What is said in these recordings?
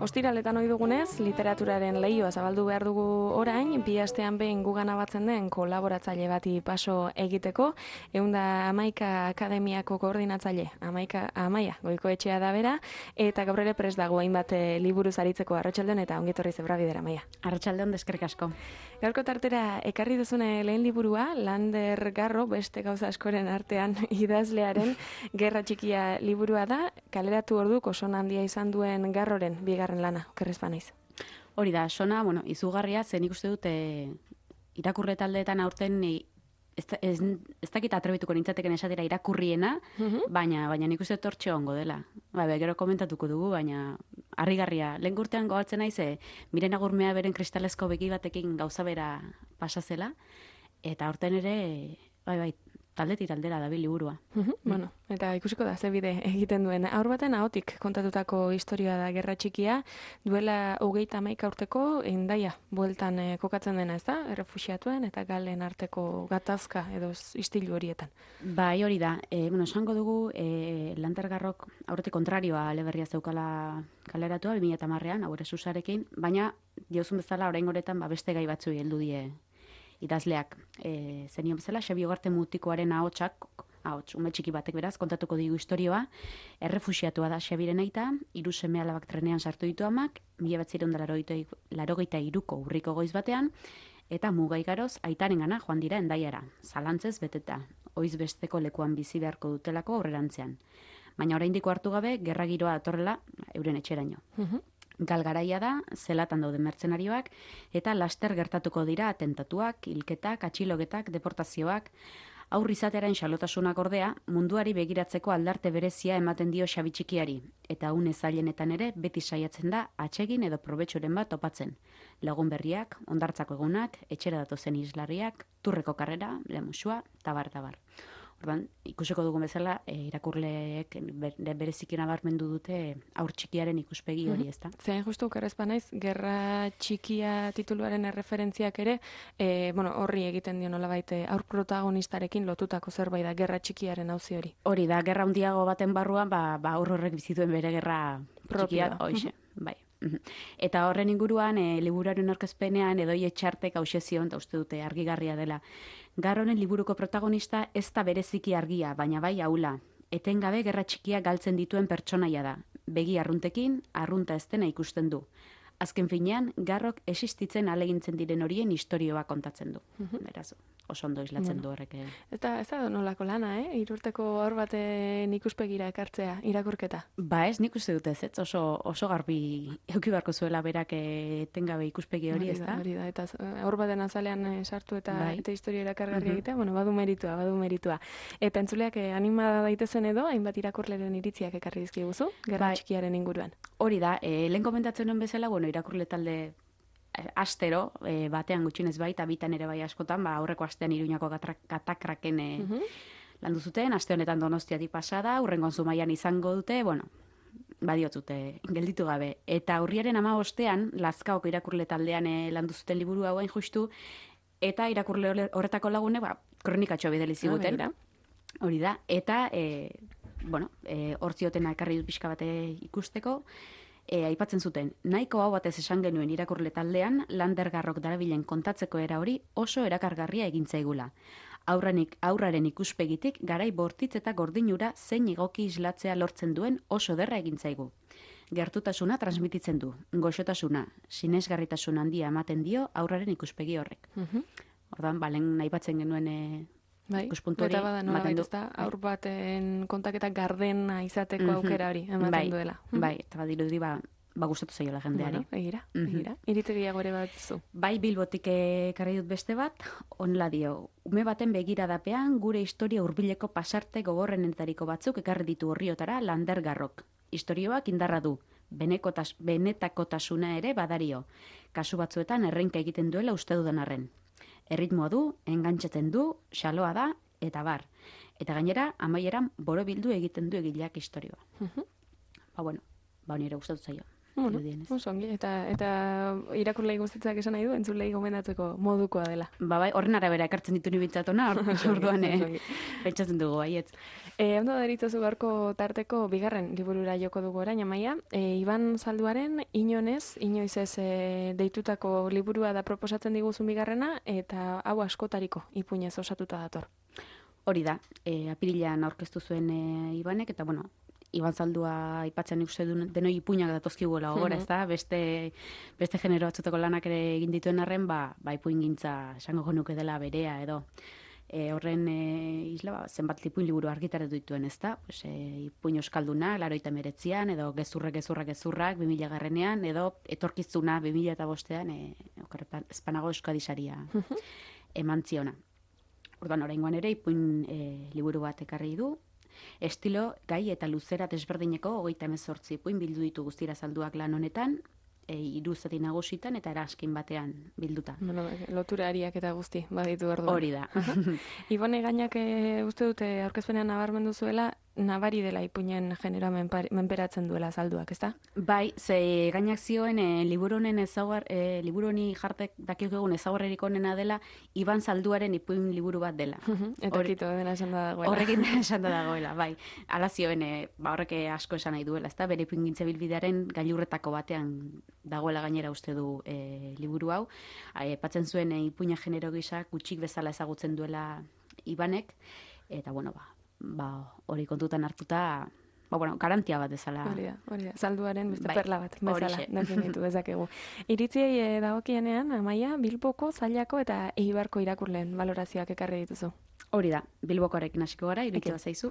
Ostiraletan ohi dugunez, literaturaren leioa zabaldu behar dugu orain, bi astean behin gugana batzen den kolaboratzaile bati paso egiteko, 111 Akademiako koordinatzaile, Amaia Goikoetxea da bera, eta gaur ere prest dago hainbat liburuz aritzeko. Arratsaldeon eta ongi etorri zebra bidera, Amaia. Arratsaldeon, eskerrik asko. Gaurko tartera ekarri duzune lehen liburua, Lander Garro, beste gauza askoren artean idazlearen Gerra Txikia liburua da, kaleratu orduk oso handia izan duen Garroren bigarren lana, okerrez banaiz. Hori da, sona, izugarria, zen ikuste dut irakurle taldeetan aurten ez dakit atrebituko nintzateken esatera irakurriena, baina nik uste dut hortxe ongo dela. Gero komentatuko dugu, baina harrigarria. Lehen urtean gogatzen naiz, Miren Agurmea beren kristalezko begi batekin gauza bera pasazela, eta aurten ere, taldetik taldera dabil liburua. Eta ikusiko da, ze bide egiten duen. Haur baten ahotik kontatutako historia da Gerra Txikia, duela 31 urteko Hendaia bueltan kokatzen dena, ez da? Errefuxiatuen eta galen arteko gatazka edo istilu horietan. Bai, hori da. Esango dugu, Lander Garrok aurretik kontrarioa aleberria zeukala kaleratua, 2010an, haure susarekin, baina diozun bezala orain goretan beste gai batzui heldu die idazleak. Zenion bezala, Xabi Ugarte Mutikoaren ahots, ume txiki batek beraz, kontatuko digu historioa, errefuxiatua da Xabiren aita, 3 seme-alabak trenean sartu ditu amak, 1983ko urriko goiz batean, eta mugaigaroz aitarengana joan dira Hendaiara, zalantzez beteta, oiz besteko lekuan bizi beharko dutelako aurrerantzean. Baina oraindiko hartu gabe, gerra giroa datorrela euren etxeraino. Galgaraia da, zelatan daude mertzenarioak, eta laster gertatuko dira atentatuak, hilketak, atxilogetak, deportazioak, aur izatearen xalotasunak ordea, munduari begiratzeko aldarte berezia ematen dio Xabi txikiari, eta une zailenetan ere beti saiatzen da atsegin edo probetxoren bat topatzen. Lagun berriak, ondartzako egunak, etxera datozen islarriak, turreko karrera, lemusua, tabar. Ordan, ikusiko dugun bezala, irakurleek berezik nabarmendu dute haur txikiaren ikuspegi hori, ezta? Zein justu okerrez banaiz, Gerra Txikia tituluaren erreferentziak ere, horri egiten dio nolabait haur protagonistarekin lotutako zerbait da Gerra Txikiaren auzi hori. Hori da, gerra handiago baten barruan, haur horrek bizituen bere gerra txikia, hoixe, bai. Eta horren inguruan, liburuaren aurkezpenean Edoi Etxartek hauxe zion, eta uste dute argigarria dela. Garronen liburuko protagonista ez da bereziki argia, baina bai aula. Etengabe Gerra Txikia galtzen dituen pertsonaia da. Begi arruntekin, arrunta ez dena ikusten du. Azken finean, Garrok existitzen alegintzen diren horien istorioa kontatzen du. Beraz, oso ondo islatzen du horrek. Ez da nolako lana, 3 urteko haur baten ikuspegira ekartzea, irakurketa? Ez, nik uste dut ez, oso garbi euki beharko zuela berak etengabe ikuspegi hori, ez da? Hori da, eta haur baten azalean sartu eta historia erakargarri egitea, badu meritua. Eta entzuleak anima daitezen edo, hainbat irakurleren iritziak ekarri dizkiguzu, Gerra Txikiaren inguruan. Hori da, lehen komentatzen nuen bezala, irakurle talde astero, batean gutxinez bai, eta bitan ere bai askotan, aurreko astean Iruñako katakraken landu zuten, aste honetan Donostiatik pasada, hurrengoan Zumaian izango dute, badiotzute, gelditu gabe. Eta urriaren 15ean, Lazkaoko irakurle taldean landu zuten liburu hauen justu, eta irakurle horretako lagune, kronikatxo bideli ziguten. Hori da, eta, hortziotena ekarri dut pixka bate ikusteko, aipatzen zuten, nahiko hau batez esan genuen irakurle taldean, Lander Garrok darabilen kontatzeko era hori oso erakargarria egintzaigula. Aurraren ikuspegitik garai bortitz eta gordinura zein egoki islatzea lortzen duen oso derra egintzaigu. Gertutasuna transmititzen du, goxotasuna, sinesgarritasun handia ematen dio aurraren ikuspegi horrek. Ordan, lehen aipatzen genuen ikuspuntu hori. Eta bada nolabait ez da, aur baten kontaketa gardena izateko aukera hori ematen duela. Eta badirudi gustatu zaiola jendeari. Egira. Iritegiago ere bat zu. Bai, Bilbotik ekarri dut beste bat, onla dio. Ume baten begiradapean gure historia hurbileko pasarte gogorrenetariko batzuk ekarri ditu horriotara Lander Garrok. Historioak indarra du, benetakotasuna ere badario. Kasu batzuetan errenka egiten duela uste dudan arren. Erritmoa du, engantzatzen du, xaloa da, eta bar. Eta gainera, amaieran borobildu egiten du egileak istorioa. Nire gustatu zaio. Bueno, ongi, eta irakurlei guztitzak esan nahi du, entzulei gomendatzeko modukoa dela. Bai, horren arabera ekartzen ditu nibitzatona, orduan pentsatzen dugu, baietz. Ondo deritzozu gaurko tarteko bigarren liburura joko dugu orain, Amaia. Iban Zalduaren inoiz ez deitutako liburua da proposatzen diguzun bigarrena, eta hau askotariko ipuinez osatuta dator. Hori da, apirilean aurkeztu zuen Ibanek, eta Iban Zaldua aipatzen ikuste denoi ipuinak datozkiguela gogora, ezta? Beste genero batzutako lanak ere egin dituen arren, ipuingintza esango genuke dela berea edo. Horren isla, zenbat ipuin liburu argitaratu dituen, ezta? Ipuin euskalduna, 89an, edo gezurrak 2000 edo etorkizuna 2005an, Espanago Euskadi Saria eman ziona. Orduan, oraingoan ere ipuin liburu bat ekarri du. Estilo, gai eta luzera desberdineko 38 ipuin bildu ditu guztira Zalduak lan honetan, 3 zati nagusitan eta eraskin batean bilduta. Lotura ariak eta guzti baditu orduan. Hori da. Ibone Gainak uste dute aurkezpenean nabarmendu zuela, nabari dela ipuinen generoa menperatzen duela Zalduak, ezta? Bai, ze Gainak zioen liburu honi jartek dakiokegun ezaugarririk onena dela Iban Zalduaren ipuin liburu bat dela. Eta kito dena esan da dagoela. Horrekin esan da dagoela, bai. Hala zioen, horrek asko esan nahi duela, ezta? Bere ipuingintze bilbidearen gailurretako batean dagoela gainera uste du liburu hau. Aipatzen zuen ipuina genero gisa gutxik bezala ezagutzen duela Ibanek, eta hori kontutan hartuta, garantia bat bezala. Hori da. Zalduaren beste perla bat bezala definitu dezakegu. Iritziei dagokienean, Amaia, Bilboko, Zailako eta Eibarko irakurleen balorazioak ekarri dituzu. Hori da, Bilbokoarekin hasiko gara, iritzi bazaizu.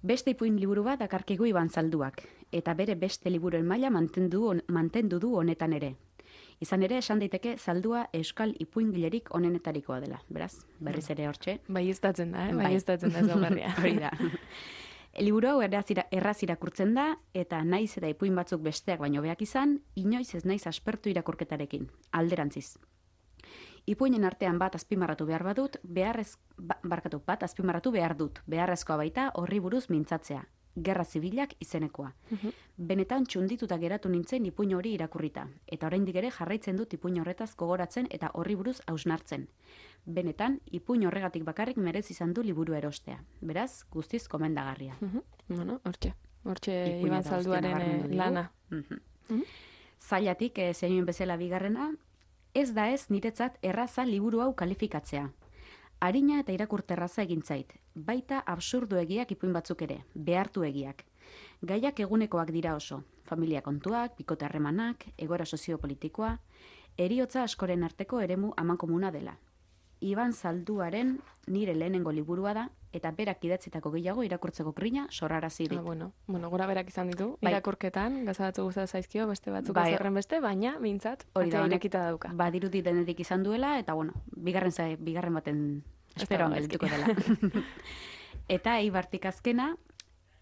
Beste ipuin liburu bat dakarkigu Iban Zalduak, eta bere beste liburuen maila mantendu du honetan ere. Izan ere, esan daiteke Zaldua euskal ipuingilerik onenetarikoa dela. Beraz, berriz ere hortxe. Baieztatzen da, baieztatzen da zaugarria. Hori da. Liburu hau erraz irakurtzen da, eta naiz eta ipuin batzuk besteak baino beak izan, inoiz ez naiz aspertu irakurketarekin, alderantziz. Ipuinen artean bat azpimarratu behar badut, azpimarratu behar dut, beharrezkoa baita horri buruz mintzatzea. Gerra Zibilak izenekoa. Benetan txundituta geratu nintzen ipuin hori irakurrita, eta oraindik ere jarraitzen dut ipuin horretaz gogoratzen eta horri buruz hausnartzen. Benetan, ipuin horregatik bakarrik merezi izan du liburu erostea. Beraz, guztiz komendagarria. Hortxe Iban Zalduaren lana. Zailatik, zenioen bezala bigarrena, ez da ez niretzat erraza liburu hau kalifikatzea. Arina eta irakurterraza egin zait, baita absurduegiak ipuin batzuk ere, behartuegiak. Gaiak egunekoak dira oso, familia kontuak, bikote harremanak, egoera soziopolitikoa, heriotza askoren arteko eremu amankomuna dela. Iban Zalduaren nire lehenengo liburua da, eta berak idatzitako gehiago irakurtzeko grina sorrarazi dit. Gora berak izan ditu, irakurketan, gazadatu guztat zaizkio, beste batzuk azerren beste, baina, bintzat, atea irekita dauka. Badirudi denetik izan duela, eta bigarren baten esperoan geldituko dela. Eta Eibartik azkena,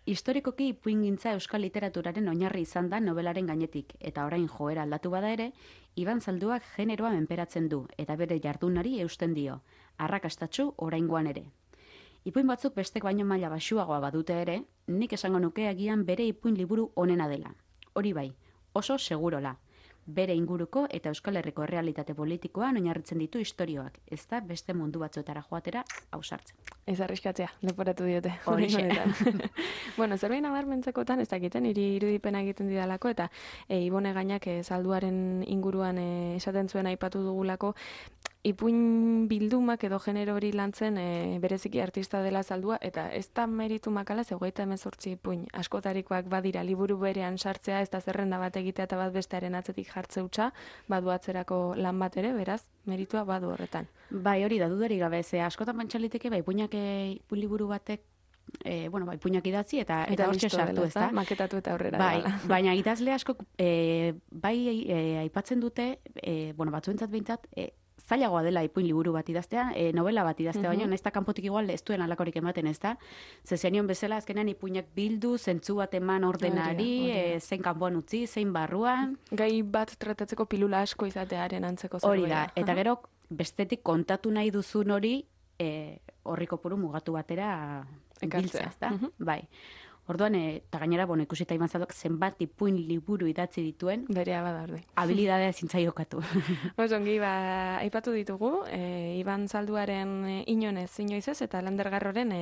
historikoki ipuingintza euskal literaturaren oinarri izan da nobelaren gainetik, eta orain joera aldatu bada ere, Iban Zalduak generoa menperatzen du, eta bere jardunari eusten dio, arrakastatsu oraingoan ere. Ipuin batzuk bestek baino maila baxuagoa badute ere, nik esango nuke agian bere ipuin liburu onena dela. Hori bai, oso segurola. Bere inguruko eta Euskal Herriko errealitate politikoan oinarritzen ditu istorioak, ez da beste mundu batzuetara joatera ausartzen. Ez arriskatzea, leporatu diote. Horixe. Zerbait nabarmentzekotan, ez dakiten, irudipena egiten didalako, eta Ibone Gainak Zalduaren inguruan esaten zuen aipatu dugulako, ipuin bildumak edo genero hori lantzen bereziki artista dela Zaldua, eta ez da meritu makala, 38 ipuin askotarikoak badira liburu berean sartzea, ez da zerrenda bat egitea eta bat bestearen atzetik jartze hutsa, badu atzerako lan bat ere, beraz, meritua badu horretan. Bai, hori da, dudari gabe, askotan pentsaliteke, ipuin liburu batek, ipuinak idatzi eta hortxe sartu, ez da? Maketatu eta aurrera. Baina idazle asko, aipatzen dute, batzuentzat behintzat, zailagoa dela ipuin liburu bat idaztea, novela bat idaztea, baina ez da kanpotik igual ez duen alakorik ematen, ez da? Zenion bezala azkenean ipuinak bildu, zentzu bat eman ordenari, zein kanpoan utzi, zein barruan. Gai bat tratatzeko pilula asko izatearen antzeko zerbait. Hori da, eta gero bestetik kontatu nahi duzun hori, horri kopuru mugatu batera Ekartzea. biltzea, ezta? Bai. Orduan, eta gainera, ikusita Ibanzaldok zenbat ipuin liburu idatzi dituen, Berea bada ordi. habilidadea zintzaiokatu. Ongi, aipatu ditugu, Iban Zalduaren inoiz ez, eta Lander Garroren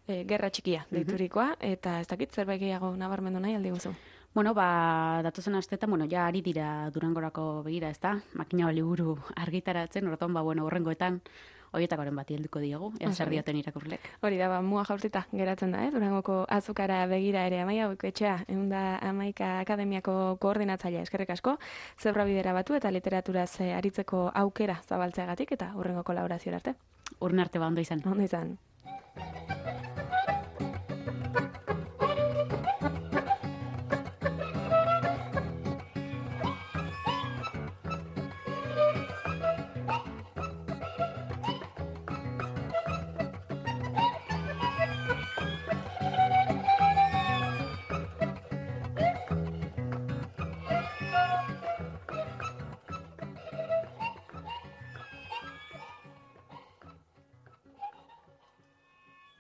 gerra txikia deiturikoa, eta ez dakit zerbait gehiago nabarmendu nahi aldi guzu. Datozen asteetan, ja ari dira Durangorako begira, ezta? Makina liburu argitaratzen, orduan, horrengoetan, horietakoren bati helduko diogu, zer dioten irakurlek. Hori da, mua jaurtita geratzen da, Durangoko azukara begira ere Amaia Goikoetxea, 111 Akademiako koordinatzailea, eskerrik asko, zebra bidera batu eta literaturaz aritzeko aukera zabaltzeagatik eta hurrengo kolaborazio arte. Urren arte ondo izan. Ondo izan.